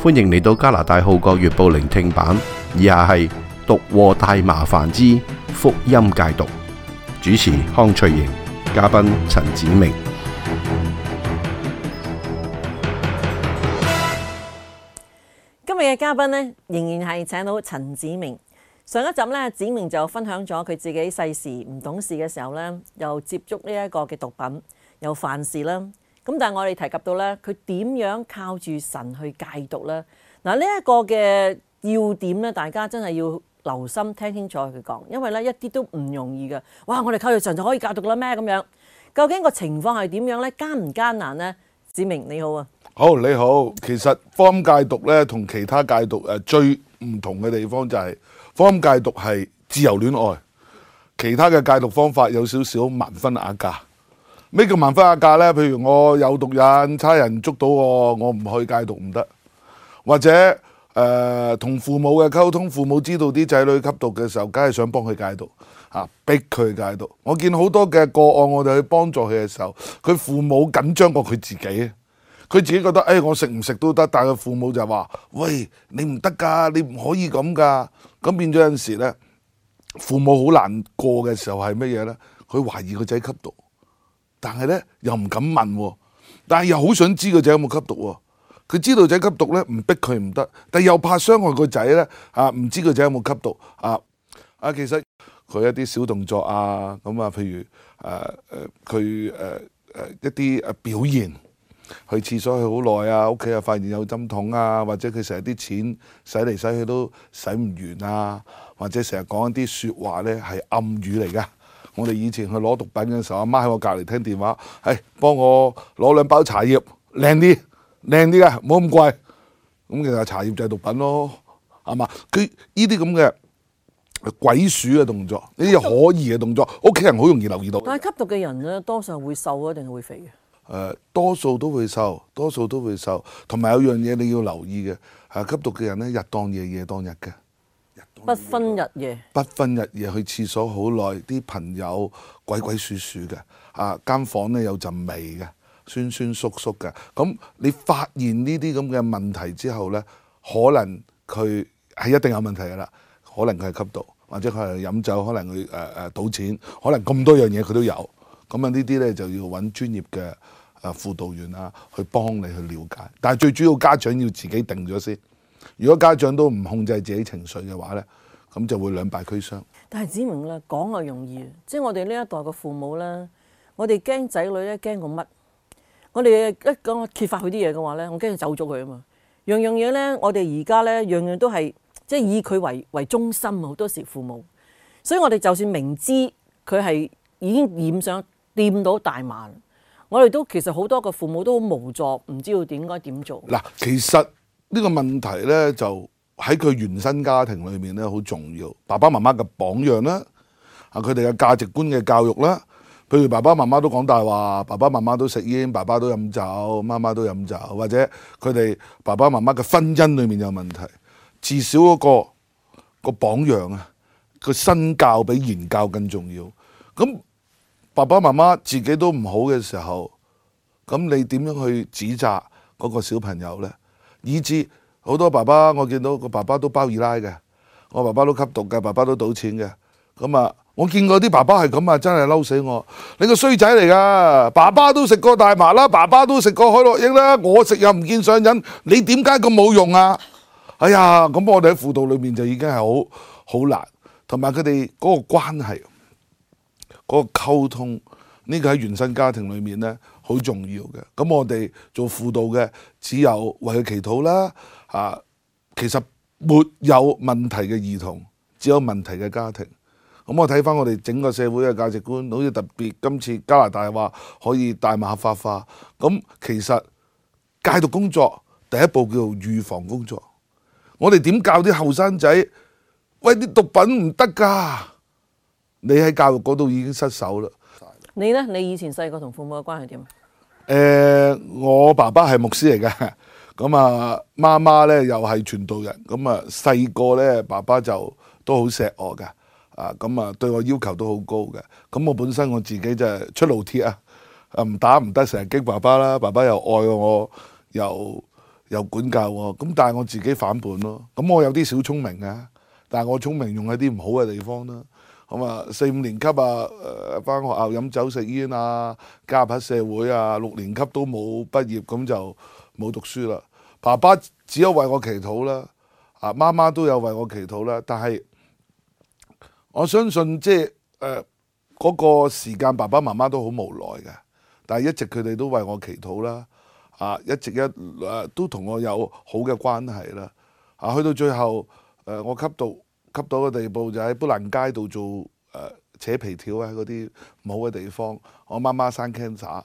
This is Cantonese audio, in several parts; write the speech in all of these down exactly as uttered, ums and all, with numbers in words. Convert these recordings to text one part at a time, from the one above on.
歡迎嚟到加拿大《號角月報》聆聽版，以下係讀禍大麻煩之福音戒毒，主持康翠瑩，嘉賓陳子明。今日嘅嘉賓呢，仍然係請到陳子明。上一集咧，子明就分享咗佢自己細時唔懂事嘅時候咧，又接觸呢一個嘅毒品，又犯事啦。咁但係我哋提及到咧，佢點樣靠住神去戒毒咧？嗱，呢一個嘅要點咧，大家真係要留心聽清楚佢講，因為咧一啲都唔容易嘅。哇！我哋靠住神就可以戒毒啦咩？咁樣究竟個情況係點樣咧？艱唔艱難咧？子明你好啊！好，你好。其實福音戒毒咧，同其他戒毒誒最唔同嘅地方就係福音戒毒係自由戀愛，其他嘅戒毒方法有少少盲婚啞嫁。咩叫盲婚啞嫁呢？譬如我有毒癮，差人捉到我，我唔去戒毒唔得。或者誒同、呃、父母嘅溝通，父母知道啲仔女吸毒嘅時候，梗係想幫佢戒毒，嚇逼佢戒毒。我見好多嘅個案，我哋去幫助佢嘅時候，佢父母緊張過佢自己。佢自己覺得誒、哎、我食唔食都得，但係佢父母就話：喂，你唔得㗎，你唔可以咁㗎。咁變咗有陣時咧，父母好難過嘅時候係乜嘢咧？佢懷疑個仔吸毒。但係咧又唔敢問喎，但係又好想知個仔有冇吸毒喎。佢知道仔吸毒咧，唔逼佢唔得，但係又怕傷害個仔咧，啊唔知個仔有冇吸毒啊啊！其實佢一啲小動作啊，咁啊，譬如誒誒佢誒誒一啲誒表現，去廁所去好耐啊，屋企又發現有針筒啊，或者佢成日啲錢使嚟使去都使唔完啊，或者成日講一啲説話咧係暗語嚟㗎。我哋以前去攞毒品嘅時候，阿媽喺我隔離聽電話，係幫我攞兩包茶葉，靚啲，靚啲嘅，唔好咁貴。咁其實茶葉就係毒品咯，係嘛？佢呢啲咁嘅鬼鼠嘅動作，呢啲可疑嘅動作，屋企人好容易留意到。但係吸毒嘅人咧，多數係會瘦啊，定係會肥嘅？誒、呃，多數都會瘦，多數都會瘦。同埋有樣嘢你要留意嘅，係吸毒嘅人咧，日當夜，夜當日嘅。不分日夜，不分日夜去廁所好耐，啲朋友鬼鬼祟祟嘅，啊間房咧有陣味嘅，酸酸縮縮嘅。咁你發現呢啲咁嘅問題之後咧，可能佢係一定有問題㗎啦。可能佢係吸毒，或者佢係飲酒，可能佢誒誒賭錢，可能咁多樣嘢佢都有。咁啊呢啲咧就要揾專業嘅誒輔導員啊，去幫你去了解。但係最主要家長要自己定咗先。如果家長都唔控制自己情緒嘅話咧，咁就會兩敗俱傷。但係子明咧講就容易，即係我哋呢一代嘅父母咧，我哋驚仔女咧驚過乜？我哋一講揭發佢啲嘢嘅話咧，我驚佢走咗佢啊嘛。樣樣嘢咧，我哋而家咧樣樣都係即係以佢為為中心，好多時父母。所以我哋就算明知佢係已經染上掂到大麻，我哋都其實好多個父母都好無助，唔知道點該點做。嗱，其實呢個問題咧，就喺佢原生家庭裏面咧好重要，爸爸媽媽嘅榜樣啦，啊佢哋嘅價值觀嘅教育啦，譬如爸爸媽媽都講大話，爸爸媽媽都食煙，爸爸都飲酒，媽媽都飲酒，或者佢哋爸爸媽媽嘅婚姻裏面有問題，至少嗰個個榜樣啊，個身教比言教更重要。咁爸爸媽媽自己都唔好嘅時候，咁你點樣去指責嗰個小朋友呢？以至好多爸爸，我見到個爸爸都包二奶嘅，我爸爸都吸毒嘅，爸爸都賭錢嘅。咁啊，我見過啲爸爸係咁啊，真係嬲死我！你個衰仔嚟噶，爸爸都食過大麻啦，爸爸都食過海洛因啦，我食又唔見上癮，你點解咁冇用啊？哎呀，咁我哋喺輔導裏面就已經係好好難，同埋佢哋嗰個關係、嗰個溝通，呢個喺原生家庭裏面呢，好重要嘅。咁我哋做輔導嘅，只有為佢祈禱啦。啊，其實沒有問題嘅兒童，只有問題嘅家庭。咁我睇翻我哋整個社會嘅價值觀，好似特別今次加拿大話可以大麻合法化。咁其實戒毒工作第一步叫做預防工作。我哋點教啲後生仔？喂，啲毒品唔得㗎！你喺教育嗰度已經失手啦。你呢？你以前細個同父母嘅關係點啊？誒、呃，我爸爸係牧師嚟嘅，咁啊媽媽咧又係傳道人，咁啊細個咧爸爸就都好錫我嘅，啊咁啊對我要求都好高嘅，咁我本身我自己就係出爐鐵啊，啊唔打唔得，成日激爸爸啦，爸爸又愛我，又又管教我，咁但係我自己反叛咯。咁我有啲小聰明嘅，但係我聰明用喺啲唔好嘅地方啦。咁啊，四五年級啊，誒返學校飲酒食煙啊，加入喺社會啊，六年級都冇畢業，咁就冇讀書啦。爸爸只有為我祈禱啦，啊媽媽都有為我祈禱啦。但係我相信即係誒嗰個時間，爸爸媽媽都好無奈嘅，但係一直佢哋都為我祈禱啦，啊一直一誒、啊、都同我有好嘅關係啦。啊去到最後誒、呃、我吸毒。吸到嘅地步就喺砵蘭街度做誒、呃、扯皮條啊，嗰啲唔好嘅地方。我媽媽生 cancer，咁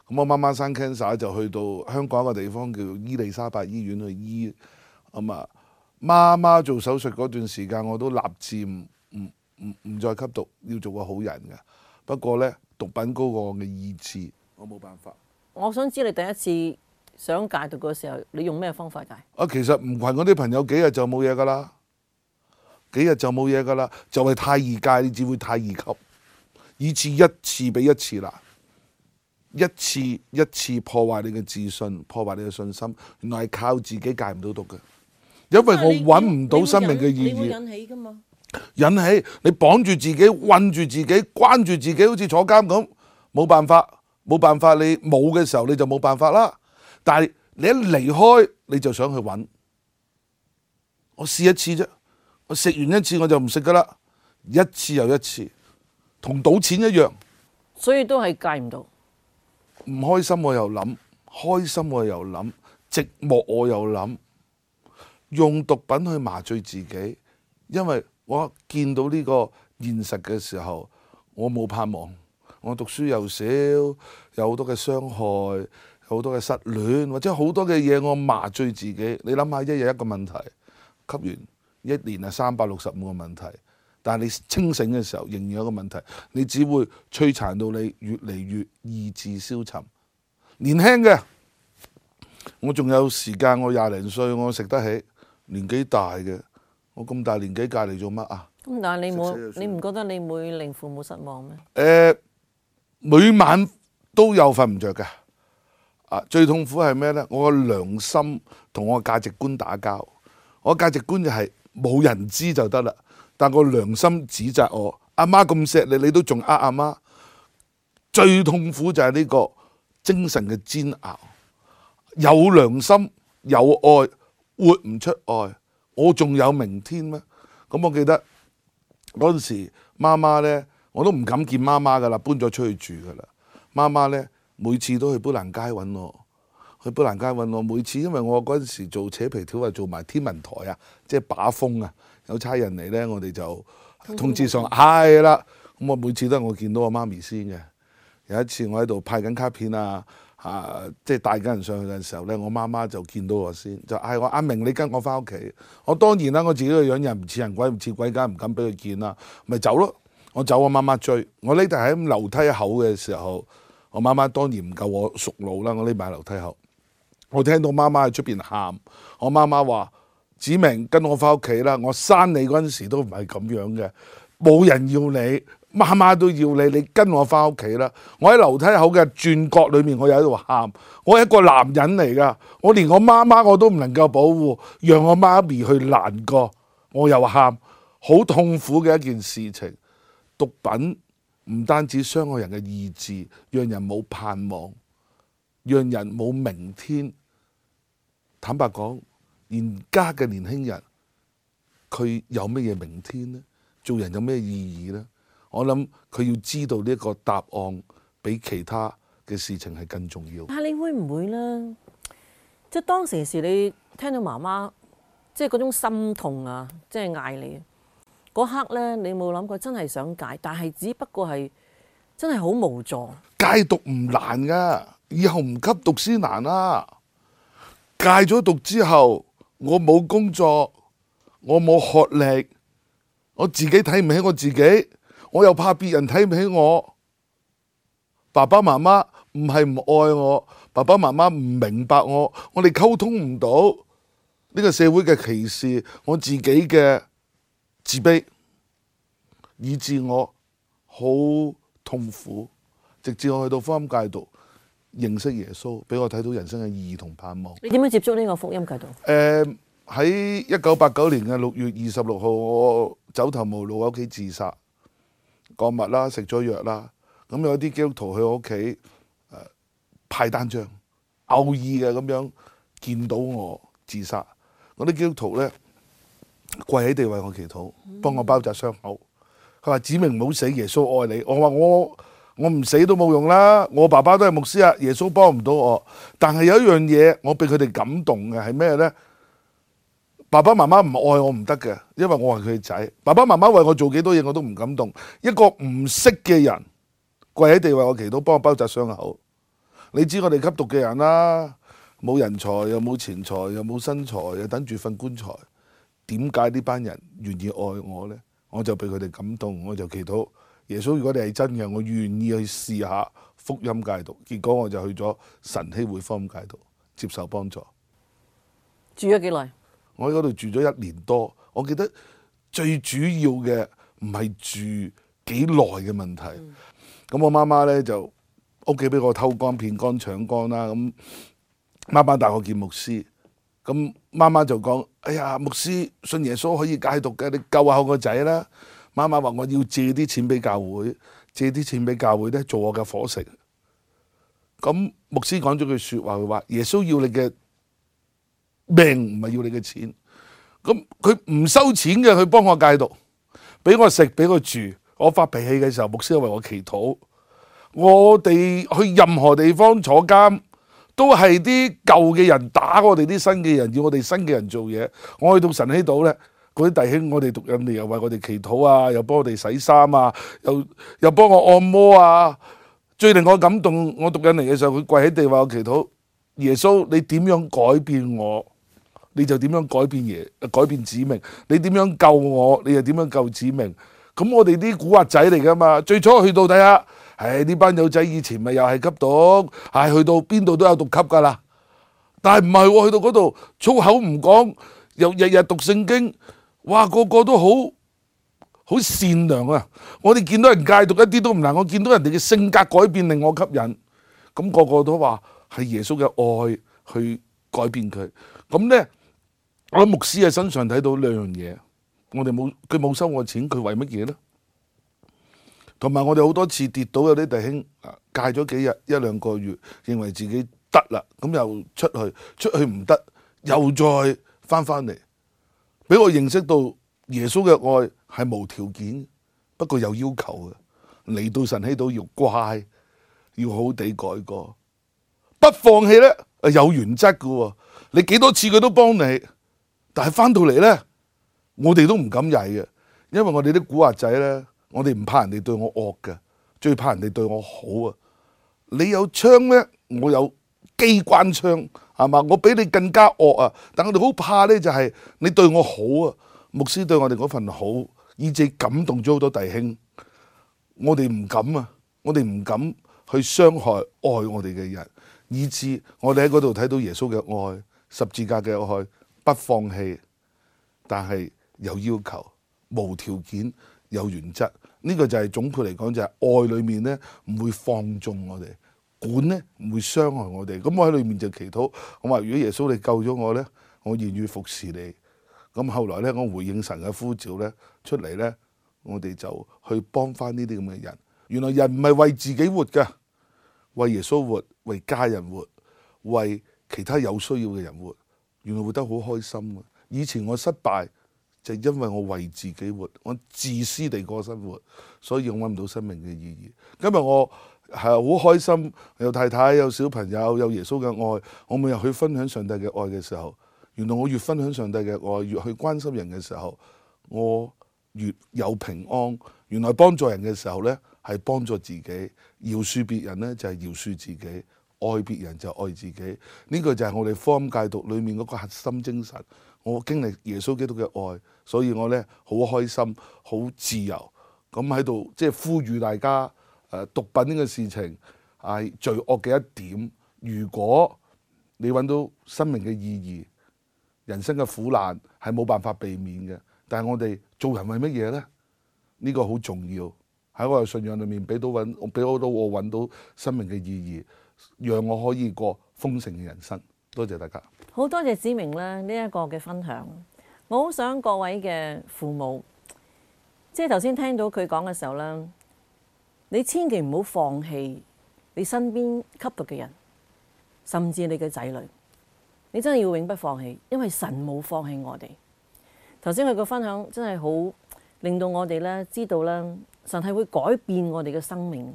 我媽媽生 cancer 就去到香港一個地方叫伊利沙伯醫院去醫。咁啊，媽媽做手術嗰段時間，我都立志唔唔唔唔再吸毒，要做個好人嘅。不過呢，毒品高過我嘅意志，我冇辦法。我想知你第一次想戒毒嘅時候，你用咩方法戒？啊，其實唔群嗰啲朋友幾日就冇嘢噶啦。幾日就冇嘢噶啦，就係、是、太易戒，你只會太易吸，以致一次比一次難，一次一次破壞你嘅自信，破壞你嘅信心。原來係靠自己戒唔到毒嘅，因為我揾唔到生命嘅意義。你會引起噶嘛？引起你綁住自己，困住自己，關住自己，好似坐監咁，冇辦法，冇辦法。你冇嘅時候你就冇辦法啦。但係你一離開，你就想去揾。我試一次啫。我食完一次我就唔食噶啦，一次又一次，同賭錢一樣。所以都係戒唔到。唔開心我又諗，開心我又諗，寂寞我又諗，用毒品去麻醉自己。因為我見到呢個現實嘅時候，我冇盼望。我讀書又少，有好多嘅傷害，有好多嘅失戀，或者好多嘅嘢我麻醉自己。你諗下，一日一個問題，吸完。一年係三百六十五個問題，但係你清醒嘅時候仍然有一個問題，你只會摧殘到你越嚟越意志消沉。年輕嘅，我仲有時間，我廿零歲，我食得起。年紀大嘅，我咁大年紀戒嚟做乜啊？咁但係你冇，你唔覺得你會令父母失望咩？誒、呃，每晚都有瞓唔着嘅。啊，最痛苦係咩呢？我個良心同我個價值觀打交。我價值觀就係、是。冇人知就得啦，但個良心指責我，阿媽咁錫你，你都仲呃阿媽。最痛苦就係呢個精神嘅煎熬。有良心有愛，活唔出愛，我仲有明天咩？咁我記得嗰陣時，媽媽呢，我都唔敢見媽媽噶啦，搬咗出去住噶啦。媽媽呢，每次都去砵蘭街揾我。去砵蘭街揾我，每次因為我嗰陣時做扯皮條啊，做埋天文台啊，即係把風啊，有差人嚟呢，我哋就通知上係啦。咁我每次都係我見到我媽咪先嘅。有一次我喺度派緊卡片啊，啊，即係帶緊人上去嘅時候呢，我媽媽就見到我先，就嗌我阿明，你跟我翻屋企。我當然啦，我自己個樣又唔似人鬼唔似鬼，梗係唔敢俾佢見啦，咪走咯。我走，我媽媽追我，匿埋喺樓梯口嘅時候，我媽媽當然唔夠我熟路啦，我匿埋喺樓梯口。我聽到媽媽喺出邊喊，我媽媽話：子明跟我翻屋企啦！我生你嗰陣時都唔係咁樣嘅，冇人要你，媽媽都要你，你跟我翻屋企啦！我喺樓梯口嘅轉角裏面，我又喺度喊，我係一個男人嚟噶，我連我媽媽我都唔能夠保護，讓我媽咪去難過，我又喊，好痛苦嘅一件事情。毒品唔單止傷害人嘅意志，讓人冇盼望，讓人冇明天。坦白講，而家嘅年輕人，佢有乜嘢明天呢？做人有咩意義呢？我諗佢要知道呢個答案，比其他嘅事情係更重要。但係你會唔會呢？即係當時時你聽到媽媽即係嗰種心痛啊，即係嗌你嗰刻呢，你冇諗過真係想戒，但係只不過係真係好無助。戒毒唔難噶，以後唔吸毒先難啦。戒咗毒之後，我冇工作，我冇學歷，我自己睇唔起我自己，我又怕別人睇唔起我。爸爸媽媽唔係唔愛我，爸爸媽媽唔明白我，我哋溝通唔到。呢個社會嘅歧視，我自己嘅自卑，以致我好痛苦。直至我去到福音戒毒，認識耶穌，俾我睇到人生嘅意義同盼望。你點樣接觸呢個福音戒毒？誒喺一九八九年嘅六月二十六號，我走投無路喺屋企自殺，割脈啦，食咗藥啦。咁有啲基督徒去我屋企誒派單張，偶爾嘅咁樣見到我自殺，嗰啲基督徒咧跪喺地為我祈禱，幫我包紮傷口。佢話：子明唔好死，耶穌愛你。我話我我唔死都冇用啦，我爸爸都係牧師啊，耶穌幫唔到我。但係有一樣嘢，我俾佢哋感動嘅係咩咧？爸爸媽媽唔愛我唔得嘅，因為我係佢嘅仔。爸爸媽媽為我做幾多嘢我都唔感動。一個唔識嘅人跪喺地為我祈禱，幫我包紮傷口。你知我哋吸毒嘅人啦，冇人才又冇錢財又冇身材，又等住瞓棺材。點解呢班人願意愛我呢？我就俾佢哋感動，我就祈禱耶穌，如果你係真嘅，我願意去試下福音戒毒。結果我就去咗晨曦會福音戒毒，接受幫助。住咗幾耐？我喺嗰度住咗一年多。我記得最主要嘅唔係住幾耐嘅問題。咁、嗯、我媽媽呢，就屋企俾我偷乾騙乾搶乾啦。咁媽媽帶我見牧師，咁媽媽就講：哎呀，牧師信耶穌可以戒毒嘅，你救下我個仔啦。媽媽話我要借啲錢俾教會，借啲錢俾教會咧做我嘅伙食。咁牧師講咗句説話，佢話耶穌要你嘅命，唔係要你嘅錢。咁佢唔收錢嘅，佢幫我戒毒，俾我食，俾我住。我發脾氣嘅時候，牧師為我祈禱。我哋去任何地方坐監，都係啲舊嘅人打我哋啲新嘅人，要我哋新嘅人做嘢。我去到晨曦島咧，嗰啲弟兄我哋讀印尼又為我哋祈禱啊，又幫我哋洗衫啊，又又幫我按摩啊。最令我感動，我讀印尼嘅時候，佢跪喺地為我祈禱。耶穌，你點樣改變我，你就點樣改變耶，改變子明。你點樣救我，你就點樣救子明。咁我哋啲古惑仔嚟噶嘛？最初去到睇下，唉呢班友仔以前咪又係吸毒，係去到邊度都有毒吸噶啦。但係唔係喎，去到嗰度粗口唔講，又日日讀聖經，哇個個都好好善良啊！我哋見到人戒毒一啲都唔難，我見到人哋嘅性格改變令我吸引，咁個個都話係耶穌嘅愛去改變佢。咁咧，我喺牧師嘅身上睇到兩樣嘢。我哋冇，佢冇收我錢，佢為乜嘢咧？同埋我哋好多次跌倒，有啲弟兄戒咗幾日一兩個月，認為自己得啦，咁又出去，出去唔得，又再翻翻嚟，俾我認識到耶穌嘅愛係無條件，不過有要求嘅。嚟到晨曦島要乖，要好好地改過，不放棄咧，有原則嘅。你幾多次佢都幫你，但係翻到嚟咧。我哋都唔敢曳嘅，因為我哋啲古惑仔咧，我哋唔怕人哋對我惡嘅，最怕人哋對我好啊！你有槍咧，我有機關槍，係嘛？我比你更加惡啊！但我哋好怕咧，就係你對我好啊！牧師對我哋嗰份好，以致感動咗好多弟兄。我哋唔敢啊！我哋唔敢去傷害愛我哋嘅人，以致我哋喺嗰度睇到耶穌嘅愛，十字架嘅愛，不放棄，但係有要求，無條件，有原則。呢、這個就係總括嚟講，就係愛裏面咧唔會放縱我哋，管咧唔會傷害我哋。咁我喺裏面就祈禱，我話如果耶穌你救咗我咧，我願意服侍你。咁後來咧，我回應神嘅呼召咧，出嚟咧，我哋就去幫翻呢啲咁嘅人。原來人唔係為自己活㗎，為耶穌活，為家人活，為其他有需要嘅人活。原來活得好開心啊！以前我失敗。就因為我為自己活，我自私地過生活，所以我揾唔到生命嘅意義。今日我係好開心，有太太，有小朋友，有耶穌嘅愛。我每日去分享上帝嘅愛嘅時候，原來我越分享上帝嘅愛，越去關心人嘅時候，我越有平安。原來幫助人嘅時候呢，係幫助自己；饒恕別人呢，就係饒恕自己；愛別人就愛自己。呢個就係我哋福音戒毒裏面嗰個核心精神。我經歷耶穌基督嘅愛，所以我咧好開心、好自由，咁喺度即係呼籲大家，誒、呃、毒品呢個事情係罪惡嘅一點。如果你揾到生命嘅意義，人生嘅苦難係冇辦法避免嘅。但係我哋做人為乜嘢咧？呢、呢個好重要，喺我嘅信仰裏面俾到揾，俾到我揾到生命嘅意義。讓我可以過豐盛嘅人生。多謝大家。好多謝子明咧呢一個嘅分享。我好想各位嘅父母，即係頭先聽到佢講嘅時候咧，你千祈唔好放棄你身邊吸毒嘅人，甚至你嘅仔女，你真係要永不放棄，因為神冇放棄我哋。頭先佢個分享真係好令到我哋咧知道咧，神係會改變我哋嘅生命。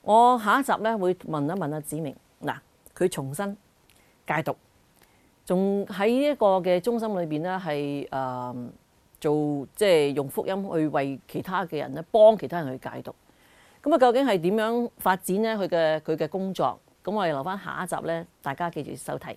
我下一集咧會問一問阿子明，嗱，佢重新戒毒，仲喺呢一個嘅中心裏邊咧係誒做即係用福音去為其他嘅人咧幫其他人去戒毒。咁啊，究竟係點樣發展咧？佢嘅佢嘅工作，咁我哋留翻下一集咧，大家記住收睇。